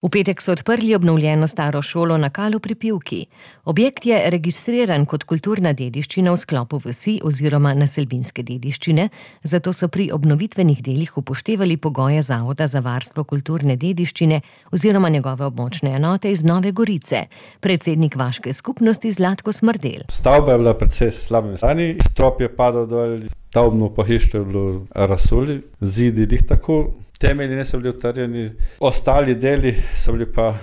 V petek so odprli obnovljeno staro šolo na Kalu pri Pivki. Objekt je registriran kot kulturna dediščina v sklopu vasi oziroma naselbinske dediščine, zato so pri obnovitvenih delih upoštevali pogoje Zavoda za varstvo kulturne dediščine oziroma njegove območne enote iz Nove Gorice. Predsednik vaške skupnosti Zlatko Smrdelj. Stavba je bila precej slabem stanju, strop je padal dol, stavbno pohištvo je bilo razsuli, zidi lih tako. Temelji niso bili utrjeni, ostali deli so bili pa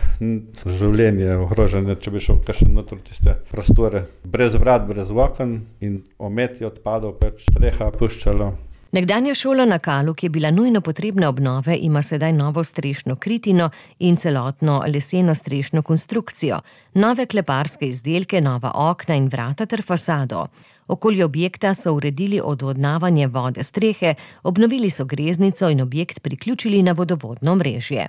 življenje ogrožene, če bi šel kakšen noter tiste prostore. Brez vrat, brez oken in omet je odpadal, streha puščala. Nekdanja šola na Kalu, ki je bila nujno potrebna obnove, ima sedaj novo strešno kritino in celotno leseno strešno konstrukcijo, nove kleparske izdelke, nova okna in vrata ter fasado. Okoli objekta so uredili odvodnavanje vode strehe, obnovili so greznico in objekt priključili na vodovodno omrežje.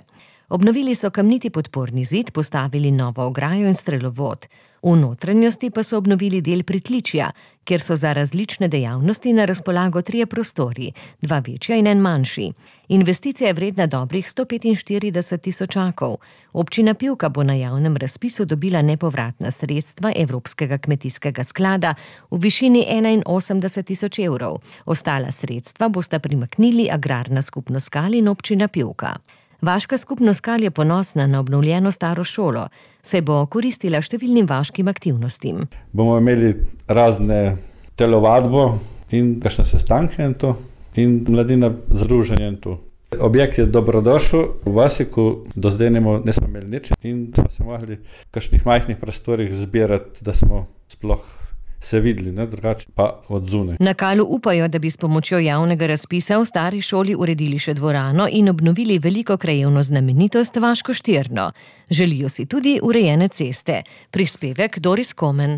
Obnovili so kamniti podporni zid, postavili novo ograjo in strelovod. V notranjosti pa so obnovili del pritličja, kjer so za različne dejavnosti na razpolago 3 prostori, 2 večja in 1 manjši. Investicija je vredna dobrih 145 tisočakov. Občina Pivka bo na javnem razpisu dobila nepovratna sredstva Evropskega kmetijskega sklada v višini 81 tisoč evrov. Ostala sredstva bosta primaknili Agrarna skupnost Kal in občina Pivka. Vaška skupnost Kal je ponosna na obnovljeno staro šolo, saj bo koristila številnim vaškim aktivnostim. Bomo imeli razne telovadbo in kakšne sestanke in mladina združenje in to. Objekt je dobrodošel v vasi, ko do zdaj nismo imeli nič in smo se mogli v kakšnih majhnih prostorih zbirati, da smo sploh se videli, drugače pa od zunaj. Na Kalu upajo, da bi s pomočjo javnega razpisa v stari šoli uredili še dvorano in obnovili veliko krajevno znamenitost Vaško Štirno. Želijo si tudi urejene ceste. Prispevek Doris Komen.